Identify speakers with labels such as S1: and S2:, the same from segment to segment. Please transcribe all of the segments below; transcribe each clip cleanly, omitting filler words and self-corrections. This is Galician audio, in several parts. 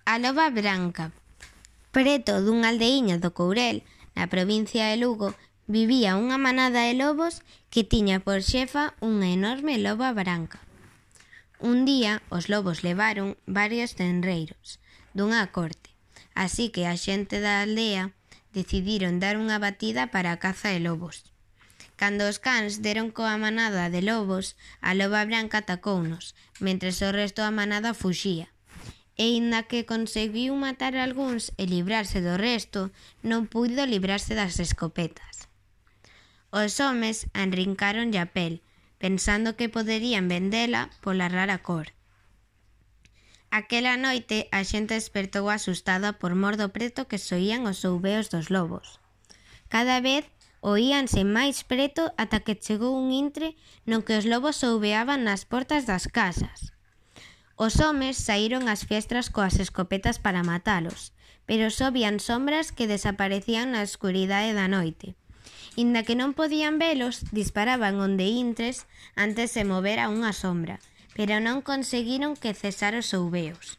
S1: A loba branca. Preto dunha aldeiña do Courel, na provincia de Lugo, vivía unha manada de lobos que tiña por xefa unha enorme loba branca. Un día os lobos levaron varios tenreiros dunha corte, así que a xente da aldea decidiron dar unha batida para a caza de lobos. Cando os cans deron coa manada de lobos, a loba branca atacounos, mentres o resto da manada fuxía. E inda que conseguiu matar algúns e librarse do resto, non puido librarse das escopetas. Os homes arrincaronlle a pel, pensando que poderían vendela pola rara cor. Aquela noite a xente despertou asustada por mor do preto que soían os ouveos dos lobos. Cada vez oíanse máis preto ata que chegou un intre no que os lobos ouveaban nas portas das casas. Os homes saíron ás fiestras coas escopetas para matalos, pero só vían sombras que desaparecían na escuridade da noite. Inda que non podían velos, disparaban onde intres antes de mover a unha sombra, pero non conseguiron que cesar os ouveos.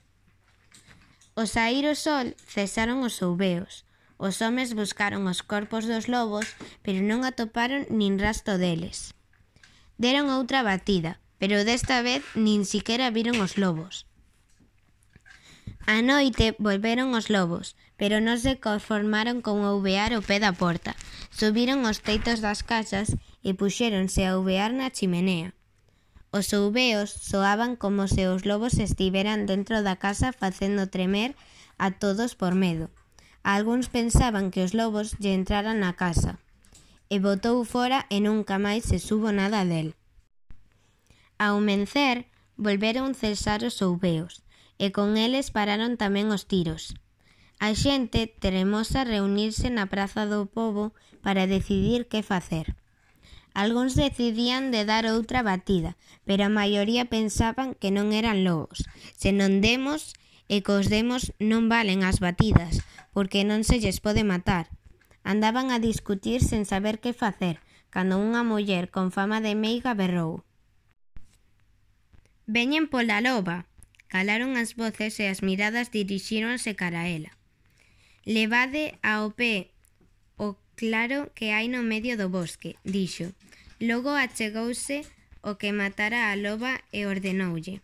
S1: Ao saír o sol, cesaron os ouveos. Os homes buscaron os corpos dos lobos, pero non atoparon nin rastro deles. Deron outra batida, pero desta vez nin siquera viron os lobos. A noite volveron os lobos, pero non se conformaron con ouvear ao pé da porta. Subiron os teitos das casas e puxéronse a ouvear na chimenea. Os ouveos soaban como se os lobos estiveran dentro da casa facendo tremer a todos por medo. Algúns pensaban que os lobos lle entraran na casa, e botou fora e nunca máis se subo nada del. Ao mencer, volveron cesar os ouveos, e con eles pararon tamén os tiros. A xente tremosa reunirse na praza do pobo para decidir que facer. Algúns decidían de dar outra batida, pero a maioría pensaban que non eran lobos, senón demos, e cos demos non valen as batidas, porque non se lles pode matar. Andaban a discutir sen saber que facer, cando unha muller con fama de meiga berrou: «Veñen pola loba!» Calaron as voces e as miradas dirixíronse cara a ela. «Levade ao pé o claro que hai no medio do bosque», dixo. Logo achegouse o que matara a loba e ordenoulle: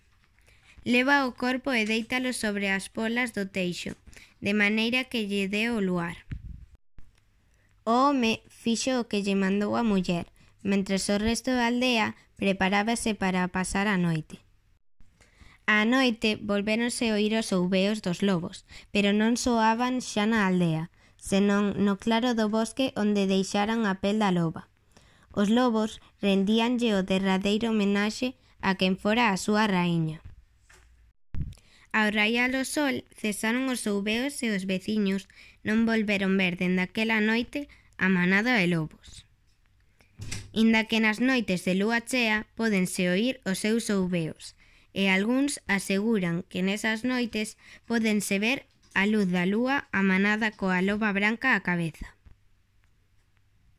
S1: «Leva o corpo e déitalo sobre as polas do teixo, de maneira que lle dé o luar». O home fixo o que lle mandou a muller, mentres o resto da aldea preparábase para pasar a noite. Á noite volvéronse oír os ouveos dos lobos, pero non soaban xa na aldea, senón no claro do bosque onde deixaran a pel da loba. Os lobos rendíanlle o derradeiro homenaxe a quen fora a súa raíña. Ao raiar o sol, cesaron os ouveos e os veciños non volveron ver dende aquela noite a manada de lobos. Inda que nas noites de lúa chea pódense oír os seus ouveos, e algúns aseguran que nesas noites pódense ver a luz da lúa a manada coa loba branca á cabeza.